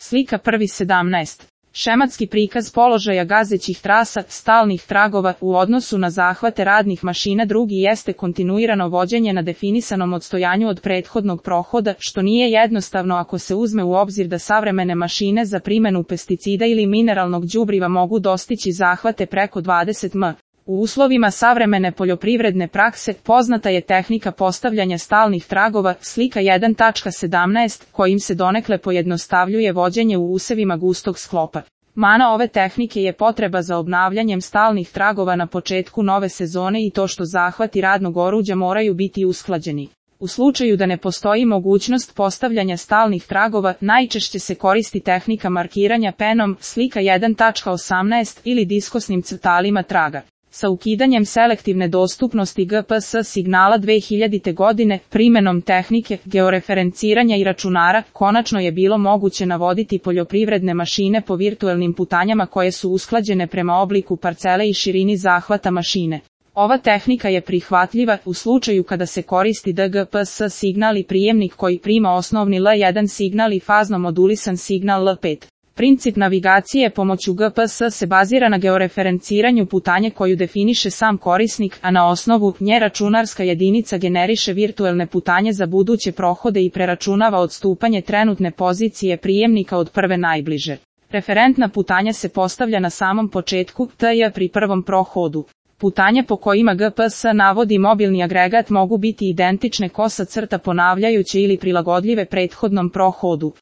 Slika 1.17. Šematski prikaz položaja gazećih trasa, stalnih tragova u odnosu na zahvate radnih mašina. Drugi jeste kontinuirano vođenje na definisanom odstojanju od prethodnog prohoda, što nije jednostavno ako se uzme u obzir da savremene mašine za primjenu pesticida ili mineralnog đubriva mogu dostići zahvate preko 20 m. U uslovima savremene poljoprivredne prakse poznata je tehnika postavljanja stalnih tragova, slika 1.17, kojim se donekle pojednostavljuje vođenje u usevima gustog sklopa. Mana ove tehnike je potreba za obnavljanjem stalnih tragova na početku nove sezone i to što zahvati radnog oruđa moraju biti usklađeni. U slučaju da ne postoji mogućnost postavljanja stalnih tragova, najčešće se koristi tehnika markiranja penom, slika 1.18 ili diskosnim crtalima traga. Sa ukidanjem selektivne dostupnosti GPS signala 2000. godine, primjenom tehnike georeferenciranja i računara, konačno je bilo moguće navoditi poljoprivredne mašine po virtuelnim putanjama koje su usklađene prema obliku parcele i širini zahvata mašine. Ova tehnika je prihvatljiva u slučaju kada se koristi DGPS signal i prijemnik koji prima osnovni L1 signal i fazno modulisan signal L5. Princip navigacije pomoću GPS se bazira na georeferenciranju putanje koju definiše sam korisnik, a na osnovu nje računarska jedinica generiše virtuelne putanje za buduće prohode i preračunava odstupanje trenutne pozicije prijemnika od prve najbliže. Referentna putanja se postavlja na samom početku TJ pri prvom prohodu. Putanje po kojima GPS navodi mobilni agregat mogu biti identične kosa crta ponavljajuće ili prilagodljive prethodnom prohodu.